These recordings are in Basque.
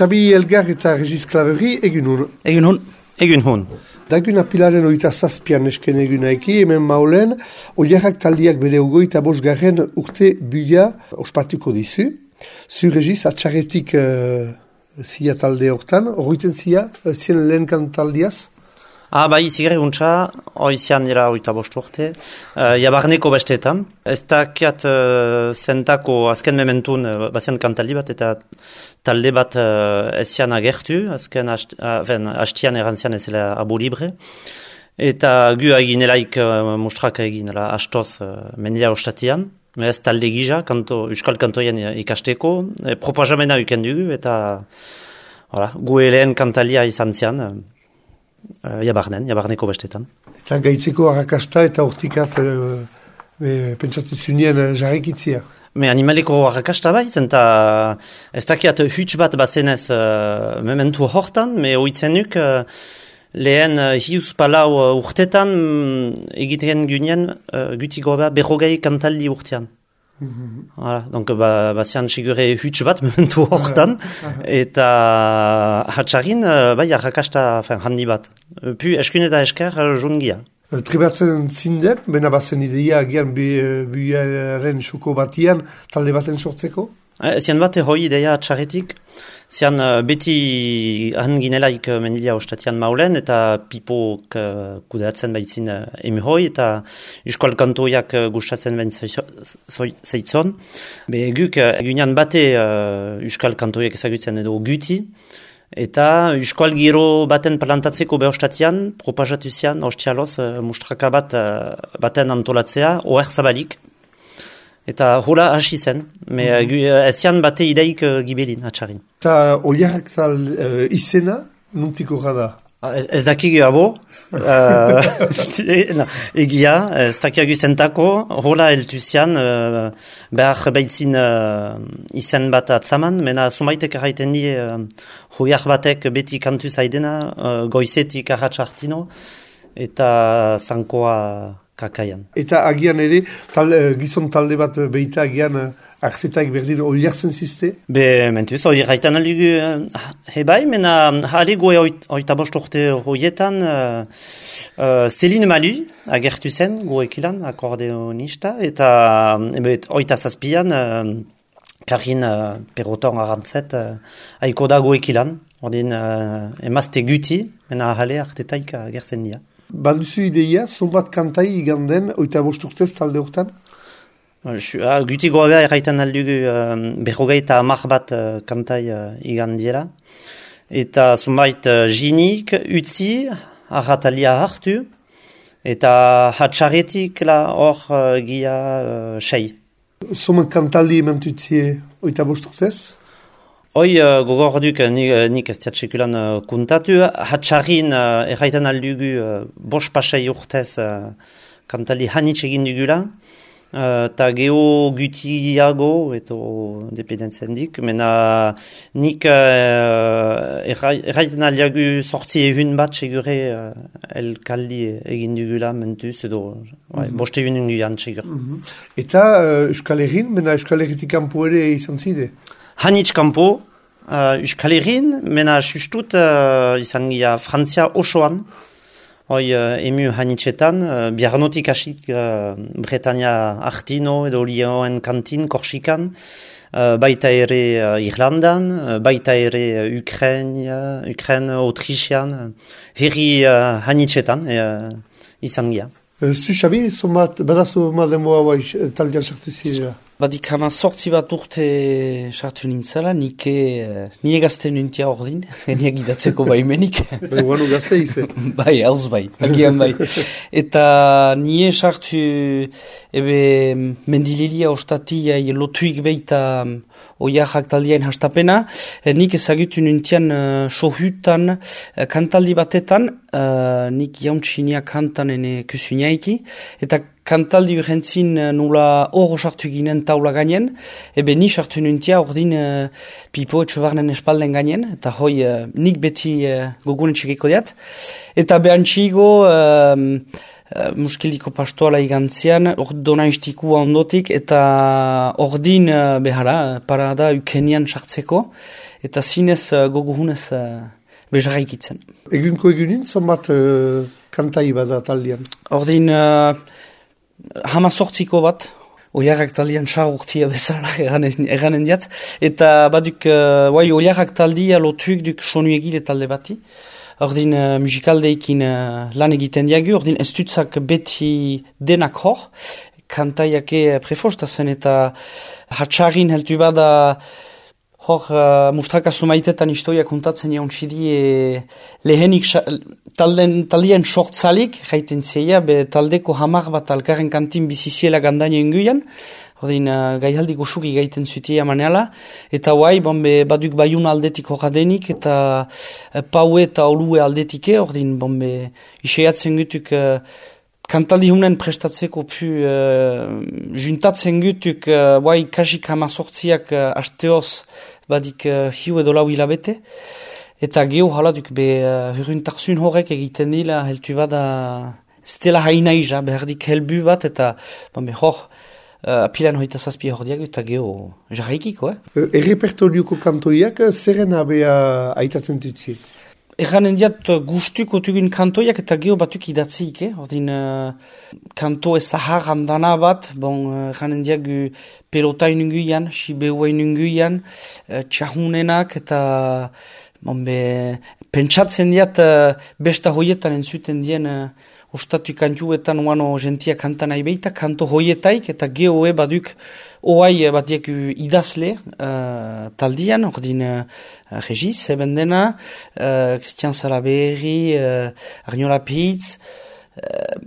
Xabi Elgar eta Regis Klaveri egun hon. Egun hon. Dagun apilaren oita zazpian esken egunaiki, hemen maulen, Oliarrak taldiak bere ugoita bosgarren urte buia ospatuko dizu. Zu Regis, atxarretik zia talde hortan, horreiten zia, zien lehen kantaldiaz? Bai, zigre guntza, oizian dira oita bost urte, jabarneko bestetan. Ez dakiat zentako azken mementun bazian kantaldi bat eta talde bat ezian agertu, azken hastian erantzian ezela abu libre. Eta gu eginelaik mustraka eginela hastoz mendia ostatian. Ez talde gisa, euskal kantoien ikasteko, propagamena uken dugu eta gu lehen kantalia izan zian. Jabarneko bestetan. Eta gaitzeko arrakasta eta hortikat pentsatu zunien jarrikitzia? Animaleko arrakasta bai, eta ez dakiat huts bat bazenez mementu hortan, oitzen nuk lehen hiuz palau urtetan egiten gunean guti goba berrogei kantaldi urtean. Donc bazian sigure huts bat momentu hortan eta hatxarin bai arrakasta handi bat. Pu eskun eta esker jungia. Tribatzen zinden, bena bazen ideia agian buiaren suko batian talde baten sortzeko? Zian bat hoi ideia atxarretik. Zian beti hanginelaik mendilia ostatian maulen eta pipok kudeatzen baitzin emihoi eta euskal kantoiak gustatzen bain zeitzon. Guk egunean bate euskal kantoiak ezagutzen edo guti eta euskal giro baten plantatzeko behostatian propagatu zian ostialoz mustraka baten antolatzea oher zabalik. Eta hola hasi zen, ezian bate ideik gibelin, atxarin. Eta Oliarrak izena, nuntiko gada? Ez dakik abo, egia, ez dakiagu zentako, hola eltu zian, behar behitzin izen bat atzaman, mena sumaitek erraiten die, hoiar batek beti kantu zaidena, goizetik arratxartino, eta zankoa kakaian. Eta agian ere, gizon talde bat behita agian artetaik berdin oliartzen ziste? Mentuz, hori raitan aligu hebai, mena hale goe oita bost urte horietan Céline Malu agertu zen goekilan, akordeonista, eta oita zazpian Karin Perroton arantzet haiko da goekilan, ordin emazte guti, mena hale artetaik agertzen dira. Balduzu ideia, zonbat kantai iganden oita bost urtez talde hortan? Guti goabea erraiten aldugu berrogei eta hamar bat kantai igandiela. Eta zonbait jinik, utzi, arratalia hartu, eta hatxaretik hor gia sei. Zoman kantaldi ementutzie oita bost urtez? Hoi gogorduk nik ez diatsekulan kuntatu, hatxarin erraiten aldugu bost pasei urtez kantali hanitz egin dugula, eta geho gutiago, eto dependentzen dik, mena nik erraiten aldugu sortzi ehun bat segure elkaldi egin dugula mentuz, edo bost ehun guian segur. Eta Euskal Herrin, mena Euskal Herritik kanpo ere izan zide? Hanitz kanpo, Euskal Herrin, mena sustut izan gira Frantzia osoan, hoi emu hanitzetan, biarnotik asik Bretania Artino edo Lioen kantin, Korsikan, baita ere Irlandan, baita ere Ukraine, Autrichian, herri hanitzetan izan gira. Zu Xabi, badazu mademoa bai taldean sartu zirela? Badik hama sortzi bat urte sartu nintzala, nire gazte nintia ordin, niak idatzeko baimenik. Guanu gazte ize? Bai, hauz bai, agian bai. Eta nire sartu mendililia ostatia lotuik behita oiarrak taldiain hastapena, nik ezagutu nintian sohutan kantaldi batetan, nik jauntxinia kantan ene kusuinaiki, eta kantaldi urrentzin nula hor sartu ginen taula gainen, ni sartu nintia ordin pipo etxebarnen espalden gainen, eta hoi nik beti gogunen txekiko diat. Eta behantxigo muskiliko pastoala igantzian, donaistikua ondotik, eta ordin behara, parada ukenian sartzeko, eta zinez goguhunez bezaraikitzen. Egunko egunin, zonbat kantai bada taldean? Ordin hamazortziko bat, oiarrak taldean sarurtia bezala eranen diat, eta baduk, oiarrak taldea lotuik duk sonu egile talde bati, ordin musikaldeekin lan egiten diagu, ordin ez dutzak beti denak hor, kantaiake prefostazen eta hatxarin heltu bada hor mustrakazu maitetan historia kontatzen jaun txidi lehenik taldean sortzalik, jaiten zeia, be taldeko hamar bat alkarren kantin biziziela gandaino inguian, ordin gaihaldi gosuki gaiten zutia maneala, eta guai, baduk baiun aldetik horadenik, eta paue eta olue aldetike, ordin iseatzen gutuk kantaldi hunen prestatzeko pu juntatzen gutuk guai kasik hamazortziak asteoz badik hiu edo lau hilabete, eta geho haladuk huruntarzun horrek egiten dila heltu bada stela hainaiza, behardik helbu bat, eta hor apilan hoita zazpia hor diago, eta geho jarraikiko. Errepertorioko kantoiak zerren abea aitatzen dutzi? Erranen diat gustuko tugun kantoiak eta geho batuk idatzik, ordin kanto ezahar handana bat, erranen diat pelotain unguian, sibeuen unguian, txahunenak eta pentsatzen diat besta hoietan entzuten dien ostatu kantuetan uano gentia kantan aibeita, kanto hoietaik eta geho baduk oai batiek idazle taldian, ordin Regis, Ebendena, Christian Salaberri, Arnola Pitz,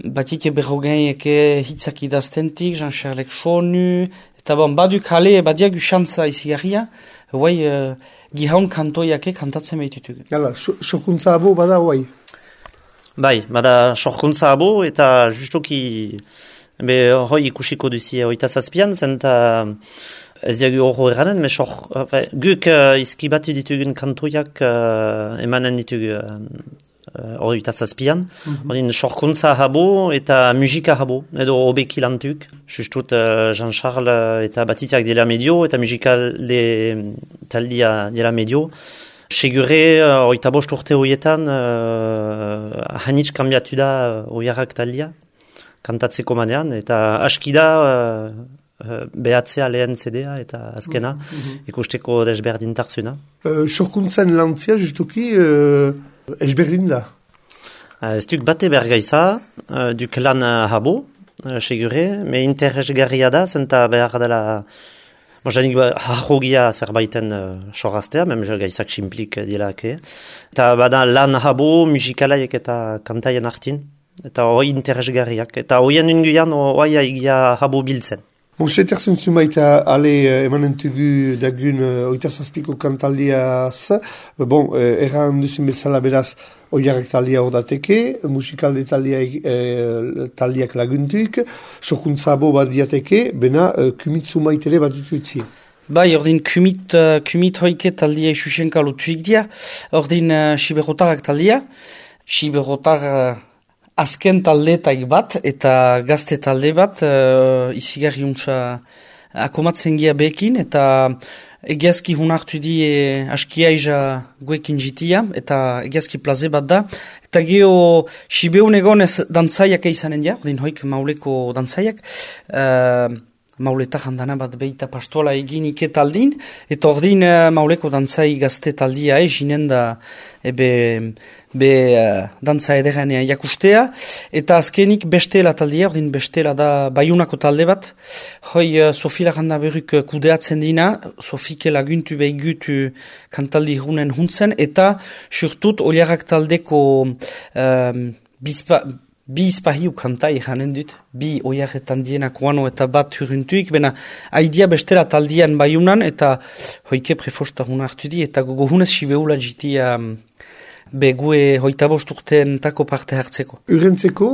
batiek berrogein hitzak idaztentik, Jean-Charles Sonu, eta baduk hale batiek xantza izigarria, oai gihaun kantoiake kantatzen behitutuk. Gala, sokuntza abo bada oai? Bai, bada sorkuntza abo eta justuki hoi ikusiko duzi oita zazpian, zenta ez diagu horro eranen, guk izkibatu ditugun kantoiak emanen ditugu oita zazpian, sorkuntza habo eta musika habo, edo obeki lantuk, justut Jean-Charles eta batitiak dela medio, eta musikalde taldia dela medio. Segure, oita bost urte horietan, hanitz kambiatu da oiarrak talia, kantatzeko manean, eta aski da behatzea lehen CD-a eta azkena, ikusteko desberdintarzuna. Sorkuntzen lantzia, justuki, ezberdin da? Ez duk bate bergaiza, duk lan habo, segure, me interesgarria da, zenta behar dela Mozanik harrogia zerbaiten soraztea, mem gaizak simplik dilake. Eta bada lan habo, musikalaiek eta kantaien hartin. Eta hoi interesgarriak. Eta hoien unguian hoi egia habo biltzen. Seterzun zumaita ale emanentugu dagun oita zazpiko kantaldiaz. Erran duzun bezala beraz oiarrak taldia hor dateke, musikalde taldiak laguntuik, sokuntza abo bat diateke, bena kumit zumaitere bat dututzi. Bai, ordin kumit hoike taldia isusenka lotuik dia, ordin siberrotarrak taldia, siberrotar azken taldetaik bat eta gazte talde bat izigarri untsa akomatzen gia bekin eta egiazki hunartu di askiaiza guekin jitia eta egiazki plaze bat da eta geho sibeun egonez dantzaiak eizanen dia, ordin hoik mauleko dantzaiak mauletak handana bat behita pastola egin iketaldin, eta ordin mauleko dantzai gazte taldia jinen da dantza ederanea jakustea, eta azkenik bestela taldia, ordin bestela da baiunako talde bat, hoi Sofila handa berruk kudeatzen dina, Sofike laguntu behigutu kantaldi hunen huntzen, eta surtut oliarrak taldeko bi izpahiu kantai janen dut, bi oiarretan dienak uano eta bat huruntuik, bena haidia bestela taldian baiunan, eta hoike prefosta huna hartu di, eta gogo hunez sibeula jitia begue 25 urteentako parte hartzeko. Urrentzeko,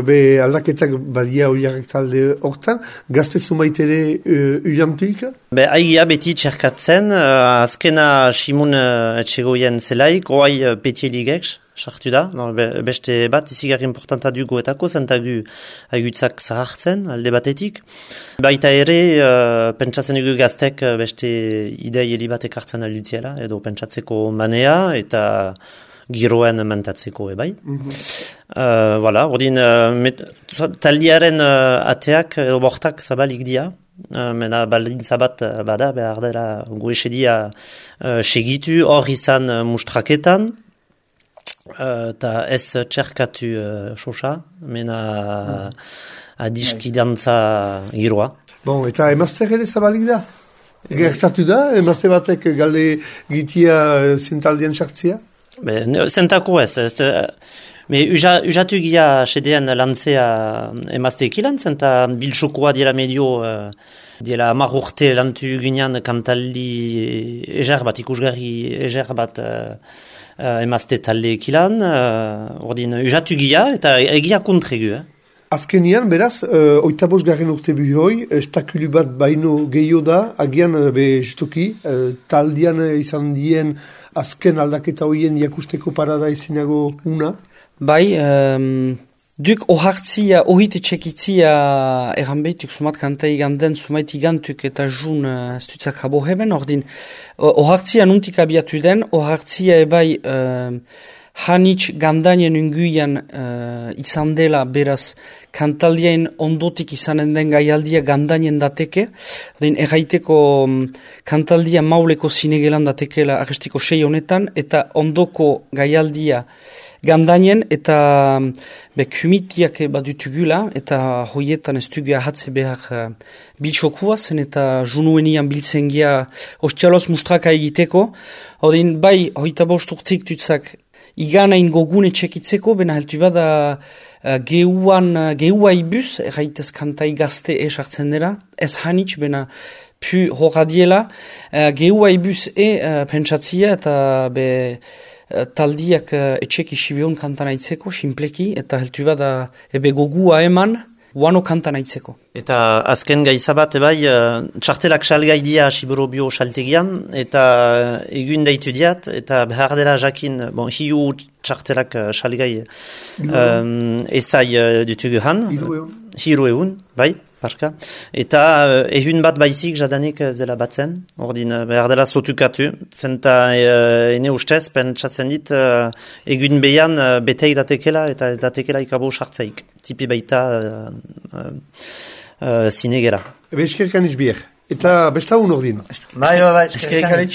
be aldaketak badia oiarrak talde hortan, gazte zumaitere uiantuik? Be, aigia beti txerkatzen, azkena Simun etxegoien zelaik, oai petieligek, sartu da, no, beste bat izigarri importanta duguetako, zentagu aigutzak zahartzen, alde batetik. Baita ere, pentsatzen dugu gaztek beste idei heli batek hartzen aldutiela, edo pentsatzeko manea, eta giroen mentatzeko ebai. Voilà, ordin, taldiaren ateak edo bortak zabalik dia, mena baldintza bat bada, behar dela goesedia segitu, hor izan mustraketan, eta ez txerkatu sosa, mena adiskidantza giroa. Bon, eta emazter ere zabalik da? Gertatu da, emazte batek galde gitia zintaldian sartzia? Zentako ez. Usatu gia sedean lantzea emazteekilan, zenta biltsokoa diela medio, diela 10 urte lantu ginean kantaldi ezer bat, ikusgarri ezer bat emazte taldeekilan, ordin usatu gia eta egia kontregu. Azkenian, beraz, 25 urte bihoi, estakulu bat baino gehiago da, agian justuki, taldian izan dien azken aldaketa hoien jakusteko parada izinago una? Bai, duk ohartzia, ohite txekitzia eran behituk sumat kantai ganden, sumait igantuk eta jun stutzak habo heben, ordin, ohartzia nuntik abiatu den, ohartzia ebai hanitz gandanien unguian izan dela, beraz, kantaldien ondotik izanen den gaialdia gandanien dateke, erraiteko kantaldia mauleko zinegelan datekela arrestiko 6 honetan, eta ondoko gaialdia gandanien, eta kumitiak badutugula, eta hoietan ez dugu ahatze behar biltxokua zen, eta junuenian biltzen gia ostialoz mustraka egiteko, bai, 25 urtik dutzak iganain gogune txekitzeko, bena heltu bada geua ibuz, erraitez kantai gazte esartzen dira, ez hanitz, bena pu horradiela, geua ibuz pentsatzia eta taldiak etxek isibion kantan aitzeko, simpleki, eta heltu bada ebe gogua eman, guano kantan aitzeko. Eta azken gaizabat, txartelak salgai dia Siborobio saltegian, eta egun daitu diat, eta behar dela jakin, hiu txartelak salgai ezai dutugu han. Hiru egun, bai, parka. Eta egun bat baizik jadanik zela batzen, ordin behar dela sotukatu, zenta ene ustez, pentsatzen dit, egun behan beteik datekela, eta ez datekela ikabo sartzaik. Tipi baita zinegera. Eskerkan izbier. Eta besta un ordin. Bai, eskerkan.